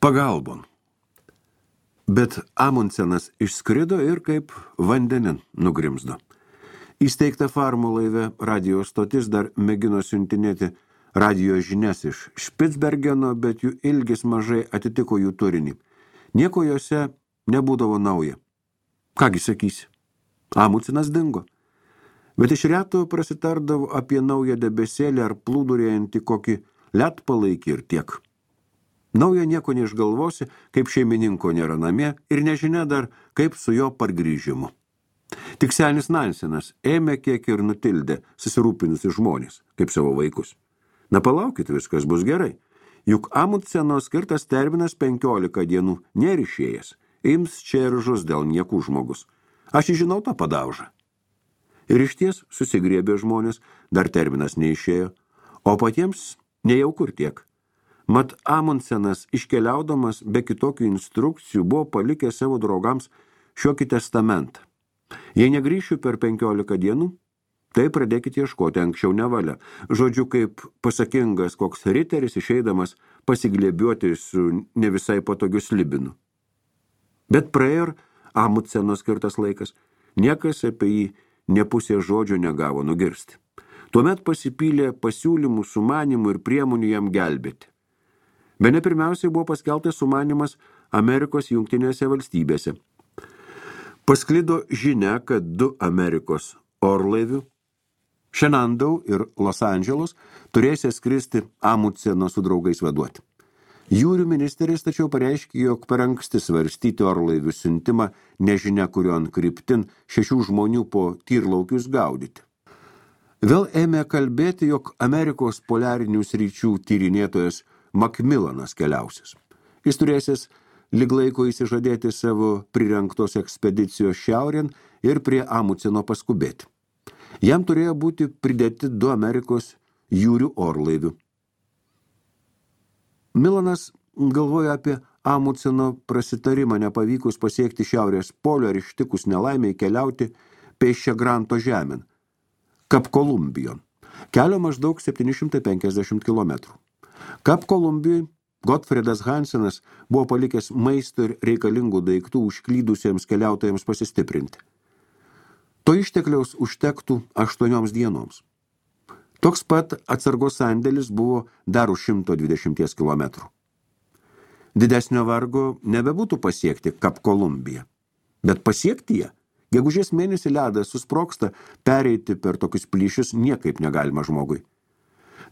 Pagalbon. Bet Amundsenas išskrido ir kaip vandenin nugrimzdo. Įsteigta farmų laive radijo stotis dar mėgino siuntinėti radijo žinias iš Špicbergeno, bet jų ilgis mažai atitiko jų turinį. Nieko jose nebūdavo nauja. Kągi sakysi, Amundsenas dingo. Bet iš reto prasitardavo apie naują debesėlį ar plūdurėjantį kokį ledpalaikį ir tiek. Nauja nieko neišgalvosi, kaip šeimininko nėra namie ir nežinia dar, kaip su jo pargrįžimu. Tik senis Nansenas ėmė kiek ir nutildė susirūpinusi žmonės, kaip savo vaikus. Na palaukit, viskas bus gerai. Juk Amundseno skirtas terminas 15 dienų nėra išėjęs. Ims čia ir žus dėl niekų žmogus. Aš žinau tą padaužą. Ir išties susigriebė žmonės, dar terminas neišėjo, o patiems nejauku ir tiek. Mat Amundsenas iškeliaudamas be kitokių instrukcijų buvo palikęs savo draugams šiokį testamentą. Jei negrįšiu per 15 dienų, tai pradėkite ieškoti anksčiau nevalia. Žodžiu, kaip pasakingas koks riteris išeidamas pasiglėbiuoti su ne visai patogiu slibinu. Bet praėjo Amundseno skirtas laikas, niekas apie jį ne pusė žodžio negavo nugirsti. Tuomet pasipylė pasiūlymų, sumanimų ir priemonių jam gelbėti. Bene pirmiausiai buvo paskeltas sumanimas Amerikos jungtinėse valstybėse. Pasklido žinia, kad 2 Amerikos orlaivių, Shenandoah ir Los Angeles, turėsė skristi Amundseno su draugais vaduoti. Jūrių ministeris tačiau pareiškė, jog per anksti svarstyti orlaivių siuntimą nežinia kurion kryptin 6 žmonių po tyrlaukius gaudyti. Vėl ėmė kalbėti, jog Amerikos poliarinių sričių tyrinėtojas Macmillanas keliausis. Jis turėsis lyg laiko įsižadėti savo prirengtos ekspedicijos šiaurien ir prie Amundseno paskubėti. Jam turėjo būti pridėti 2 Amerikos jūrių orlaivių. Milanas galvoja apie Amundseno prasitarimą nepavykus pasiekti šiaurės polio ir ištikus nelaimiai keliauti pėsčia Granto žemėn, Kap Kolumbijon, kelio maždaug 750 km. Kap Kolumbijoj Gottfriedas Hansenas buvo palikęs maisto ir reikalingų daiktų užklydusiems keliautojams pasistiprinti. To ištekliaus užtektų 8 dienoms. Toks pat atsargos sandėlis buvo dar už 120 km. Didesnio vargo nebebūtų pasiekti Kap Kolumbiją, bet pasiekti ją. Gegužės mėnesį ledas susprogsta, pereiti per tokius plyšius niekaip negalima žmogui.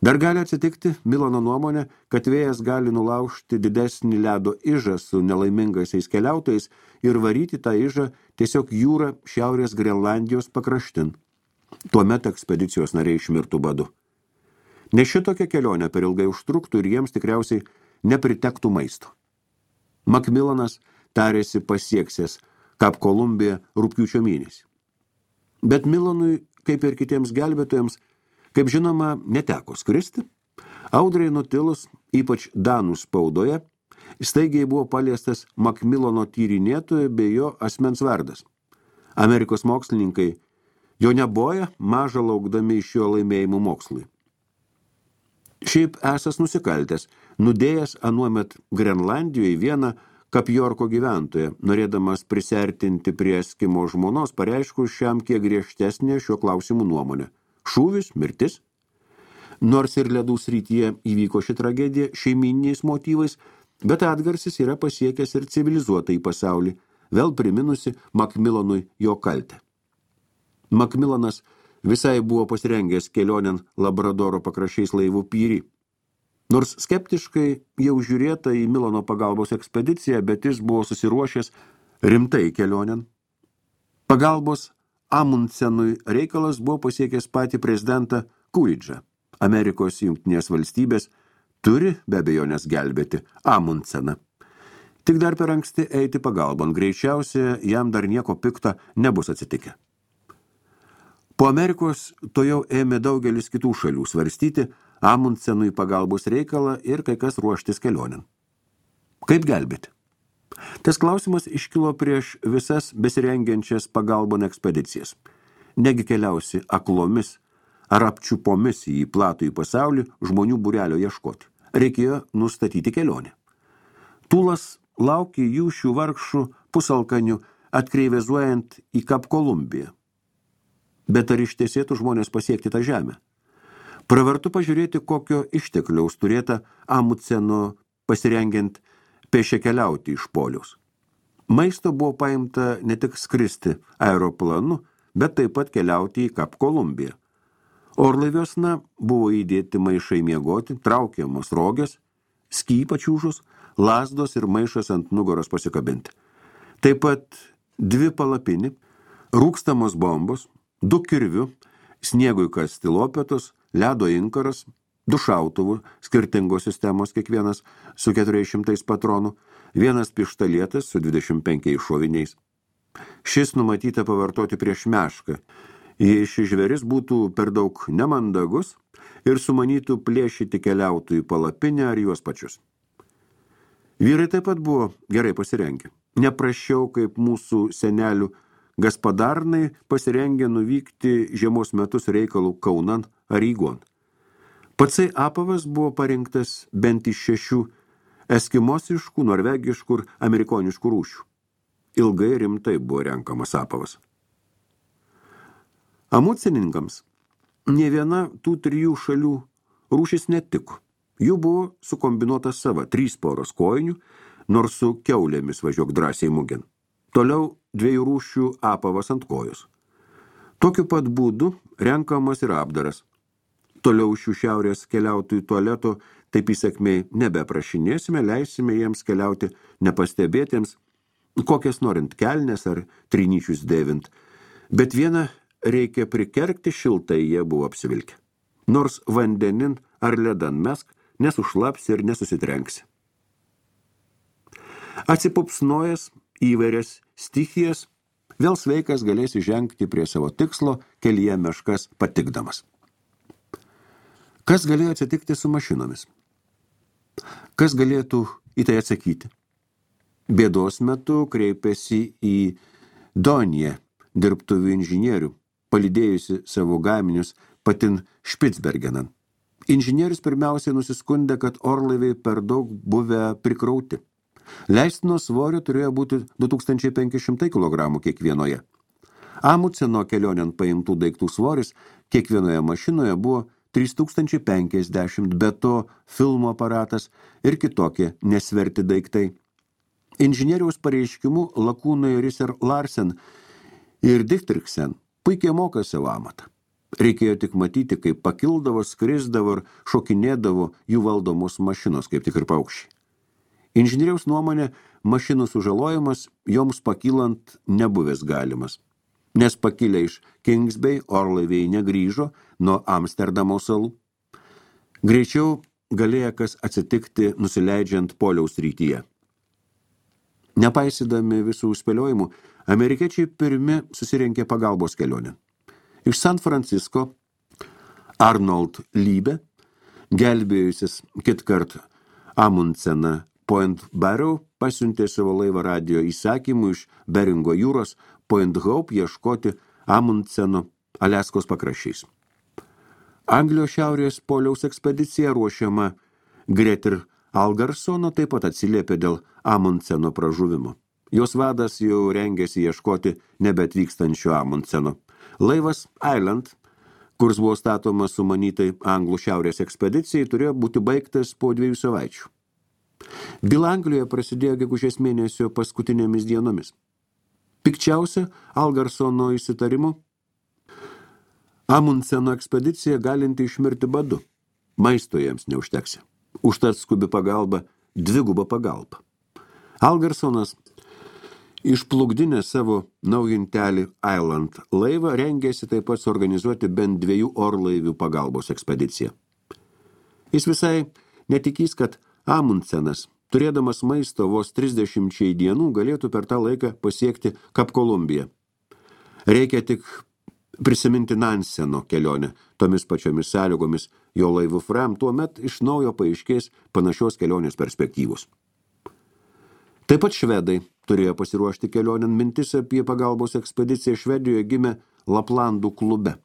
Dar gali atsitikti, Milano nuomonė, kad vėjas gali nulaužti didesnį ledo ižą su nelaimingaisiais keliautojais ir varyti tą ižą tiesiog jūrą šiaurės Grenlandijos pakraštin. Tuomet ekspedicijos nariai išmirtų badu. Ne šitokia kelionė per ilgai užtruktų ir jiems tikriausiai nepritektų maisto. Macmillanas tarėsi pasieksės Kap Kolumbiją rugpjūčio mėnesį. Bet Milanui, kaip ir kitiems gelbėtojams, kaip žinoma, neteko skristi. Audrai nutilus, ypač danų spaudoje, staigiai buvo paliestas Macmillano tyrinėtojo bei jo asmens vardas. Amerikos mokslininkai jo neboja, maža laukdami iš jo laimėjimų mokslui. Šiaip esas nusikaltęs, nudėjęs anuomet Grenlandijoje vieną Kapjorko gyventoją, norėdamas prisertinti prie Eskimo žmonos, pareiškus šiam kiek griežtesnė šiuo klausimu nuomonė. Šūvis, mirtis. Nors ir ledų srityje įvyko ši tragedija šeimyniniais motyvais, bet atgarsis yra pasiekęs ir civilizuotą į pasaulį, vėl priminusi Macmillanui jo kaltę. Macmillanas visai buvo pasirengęs kelionėn Labradoro pakraščiais laivų Pyri. Nors skeptiškai jau žiūrėta į Milano pagalbos ekspediciją, bet jis buvo susiruošęs rimtai kelionėn. Pagalbos Amundsenui reikalas buvo pasiekęs patį prezidentą Coolidge'ą. Amerikos jungtinės valstybės turi be abejonės gelbėti Amundseną. Tik dar per anksti eiti pagalbon, greičiausiai jam dar nieko pikta nebus atsitikę. Po Amerikos to jau ėmė daugelis kitų šalių svarstyti Amundsenui pagalbos reikalą ir kai kas ruoštis kelionėn. Kaip gelbėti? Tas klausimas iškilo prieš visas besirengiančias pagalbon ekspedicijas. Negi keliausi aklomis ar apčiupomis į platų į pasaulį žmonių būrelio ieškoti. Reikėjo nustatyti kelionę. Tūlas laukė jų šių vargšų pusalkanių atkreivezuojant į Kap Kolumbiją. Bet ar ištiesėtų žmonės pasiekti tą žemę? Pravartu pažiūrėti, kokio ištekliaus turėta Amundseno pasirengiant pėsčia keliauti iš poliaus. Maisto buvo paimta ne tik skristi aeroplanu, bet taip pat keliauti į Kap Kolumbiją. Orlaiviuosna buvo įdėti maišai miegoti, traukiamos rogės, sky pačiūžus, lazdos ir maišas ant nugaros pasikabinti. Taip pat 2 palapinį, rūkstamos bombos, 2 kirvių, sniegui kasti lopetos, ledo inkaras, 2 šautuvų, skirtingos sistemos kiekvienas su 400 patronų, 1 pištolėtas su 25 šoviniais. Šis numatyta pavartoti prieš mešką, jei šis žvėris būtų per daug nemandagus ir sumanytų plėšyti keliautojų palapinę ar juos pačius. Vyrai taip pat buvo gerai pasirengę. Neprašiau kaip mūsų senelių gaspadarnai pasirengę nuvykti žiemos metus reikalų Kaunan ar Rygon. Patsai apavas buvo parinktas bent iš 6 eskimosiškų, norvegiškų ir amerikoniškų rūšių. Ilgai rimtai buvo renkamas apavas. Amundseninkams nė viena tų 3 šalių rūšis netiko. Jų buvo sukombinuota sava 3 poros kojinių, nors su kiaulėmis važiuok drąsiai mugin. Toliau 2 rūšių apavas ant kojos. Tokiu pat būdu renkamas ir apdaras. Toliau šių šiaurės keliautojų tualeto taip įsakmiai nebeprašinėsime, leisime jiems keliauti nepastebėtiems, kokias norint kelnes ar trinyčius dėvint. Bet vieną reikia prikergti, šiltai jie buvo apsivilkę. Nors vandenin ar ledan mesk, nesušlapsi ir nesusitrenksi. Atsipupsnojęs įvairias stichijas, vėl sveikas galėsi žengti prie savo tikslo kelyje meškas patikdamas. Kas galėjo atsitikti su mašinomis? Kas galėtų į tai atsakyti? Bėdos metu kreipėsi į Doniją dirbtuvių inžinierių, palydėjusi savo gaminius patin Špicbergenan. Inžinierius pirmiausiai nusiskundė, kad orlaiviai per daug buvę prikrauti. Leistino svorio turėjo būti 2500 kg kiekvienoje. Amundseno kelionėn paimtų daiktų svoris kiekvienoje mašinoje buvo 3050, be to filmo aparatas ir kitokie nesverti daiktai. Inžinieriaus pareiškimu lakūnai Risser Larsen ir Dichtriksen puikiai moka savo amatą. Reikėjo tik matyti, kaip pakildavo, skrisdavo ir šokinėdavo jų valdomos mašinos, kaip tik ir paukščiai. Inžinieriaus nuomonė, mašinų sužalojimas joms pakylant nebuvęs galimas, nes pakilę iš Kings Bay orlaiviai negrįžo nuo Amsterdamo salų. Greičiau galėjo kas atsitikti nusileidžiant poliaus rytyje. Nepaisydami visų spėliojimų, amerikiečiai pirmi susirinkė pagalbos kelionę. Iš San Francisco Arnold Liebe, gelbėjusis kitkart Amundseną Point Barrow, pasiuntė savo laivą radijo įsakymų iš Beringo jūros Point Hope ieškoti Amundseno Aliaskos pakraščiais. Anglijos šiaurės poliaus ekspedicija ruošiama Gretir Algarsono taip pat atsiliepė dėl Amundseno pražuvimo. Jos vadas jau rengėsi ieškoti nebeatvykstančio Amundseno. Laivas Island, kurs buvo statomas sumanytai Anglų šiaurės ekspedicijai, turėjo būti baigtas po 2 savaičių. Byla Anglijoje prasidėjo gegužės mėnesio paskutinėmis dienomis. Pikčiausia Algarsono įsitarimu Amundseno ekspedicija galinti išmirti badu. Maisto jiems neužteksi. Užtat skubi pagalba, 2 pagalba. Algarsonas išplukdinę savo naujintelį Island laivą rengėsi taip pat suorganizuoti bent 2 orlaivių pagalbos ekspediciją. Jis visai netikys, kad Amundsenas, turėdamas maisto vos 30 dienų, galėtų per tą laiką pasiekti Kap Kolumbiją. Reikia tik prisiminti Nanseno kelionę tomis pačiomis sąlygomis jo laivu Fram, tuomet iš naujo paaiškės panašios kelionės perspektyvos. Taip pat švedai turėjo pasiruošti kelionėn. Mintis apie pagalbos ekspediciją Švedijoje gimė Laplandų klube.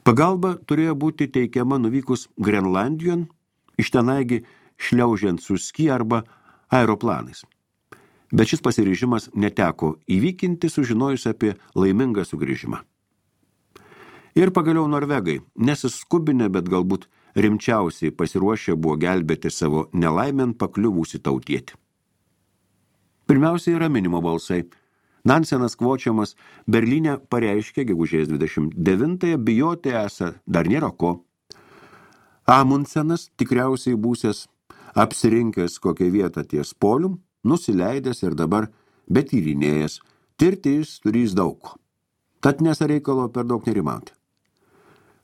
Pagalba turėjo būti teikiama nuvykus Grenlandijon, iš tenaigi šliaužiant su ski arba aeroplanais. Bet šis pasiryžimas neteko įvykinti, sužinojus apie laimingą sugrįžimą. Ir pagaliau norvegai, nesiskubinę, bet galbūt rimčiausiai pasiruošę buvo gelbėti savo nelaimėn pakliuvusį tautietį. Pirmiausiai raminimo balsai. Nansenas Kvočiamas Berlyne pareiškė gegužės 29-ąją bijoti esą dar nėra ko. Amundsenas, tikriausiai būsęs apsirinkęs kokią vietą ties polium, nusileidęs ir dabar betyrinėjęs, tirti jis turys daug. Tad nesa reikalo per daug nerimauti.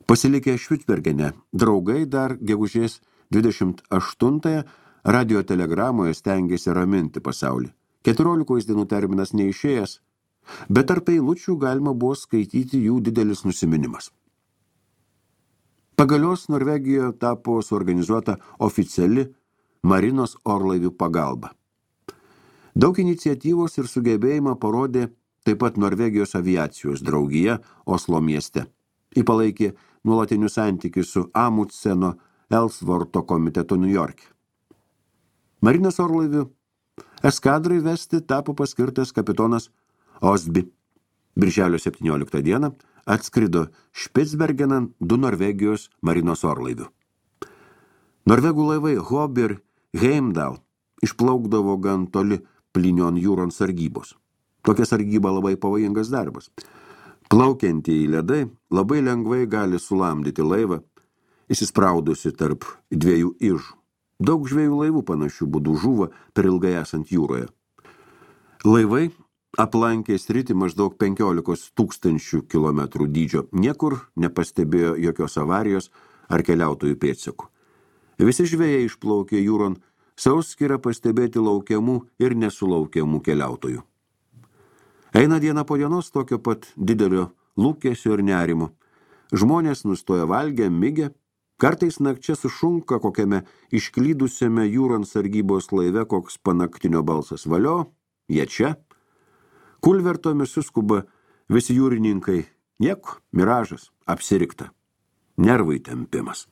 Pasilikę Švicbergene, draugai dar gegužės 28-ąją radiotelegramoje stengėsi raminti pasaulį. 14 dienų terminas neišėjęs, bet tarp eilučių galima buvo skaityti jų didelis nusiminimas. Pagalios Norvegijoje tapo suorganizuota oficiali marinos orlaivių pagalba. Daug iniciatyvos ir sugebėjimą parodė taip pat Norvegijos aviacijos draugija Oslo mieste. Ji palaikė nuolatinius santykius su Amundseno Ellsworto komitetu Niujorke. Marinos orlaivių eskadrai vesti tapo paskirtas kapitonas Osby. Birželio 17 dieną atskrido Špicbergenan 2 Norvegijos marinos orlaivių. Norvegų laivai Hob ir Heimdall išplaukdavo gan toli Plinion jūron sargybos. Tokia sargyba labai pavojingas darbas. Plaukiantieji ledai labai lengvai gali sulamdyti laivą, įsispraudusi tarp 2 ižų. Daug žvejų laivų panašių būdų žuvo per ilgai esant jūroje. Laivai aplankė sritį maždaug 15 000 kilometrų dydžio. Niekur nepastebėjo jokios avarijos ar keliautojų pėdsakų. Visi žvejai išplaukė jūron sauskirą pastebėti laukiamų ir nesulaukiamų keliautojų. Eina diena po dienos tokio pat didelio lūkesio ir nerimo. Žmonės nustoja valgę, migę, kartais nakčia sušunka kokiame išklydusiame jūron sargybos laive koks panaktinio balsas. Valio, jie čia. Kulvertomis suskuba visi jūrininkai. Nieko, miražas, apsirikta. Nervai tempimas.